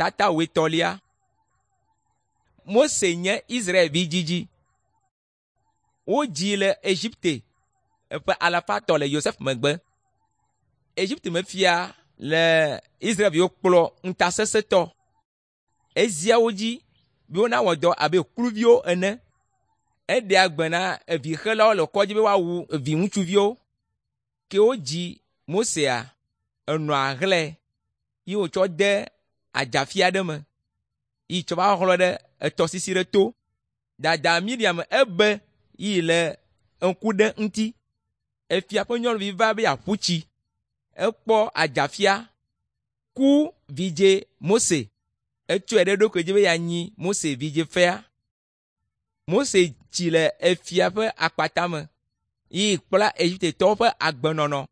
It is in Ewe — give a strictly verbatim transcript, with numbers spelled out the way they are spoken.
Tata wuietɔ̃lia. Mose nye Israelvi dzidzi. Wodzii le Egipte eƒe alafa etɔ̃ le Yosef megbe. Egipte mefia le Israelviwo kplɔ ŋutasesẽtɔ. Ezia wo dzi be wonawɔ dɔ abe kluviwo ene. Eɖea gbe na evixelawo le kɔdzi be woawu viŋutsuviwo. Ke wodzi Mosea, enɔa hlẽ ye wòtsɔ de adzafi aɖe me yi tsɔ va xlɔ ɖe etɔsisi ɖe to. Dada Miriam ebe yi le ŋku ɖe ŋuti. Efia ƒe nyɔnuvi va be yeaƒu tsi. Ekpɔ adzafia ku vidze Mose. Etsɔe ɖe eɖokui dzi be yeanyi Mose vidze fea. Mose tsi le efia ƒe akpata me yi kpla Egiptetɔwo ƒe agbenɔnɔ.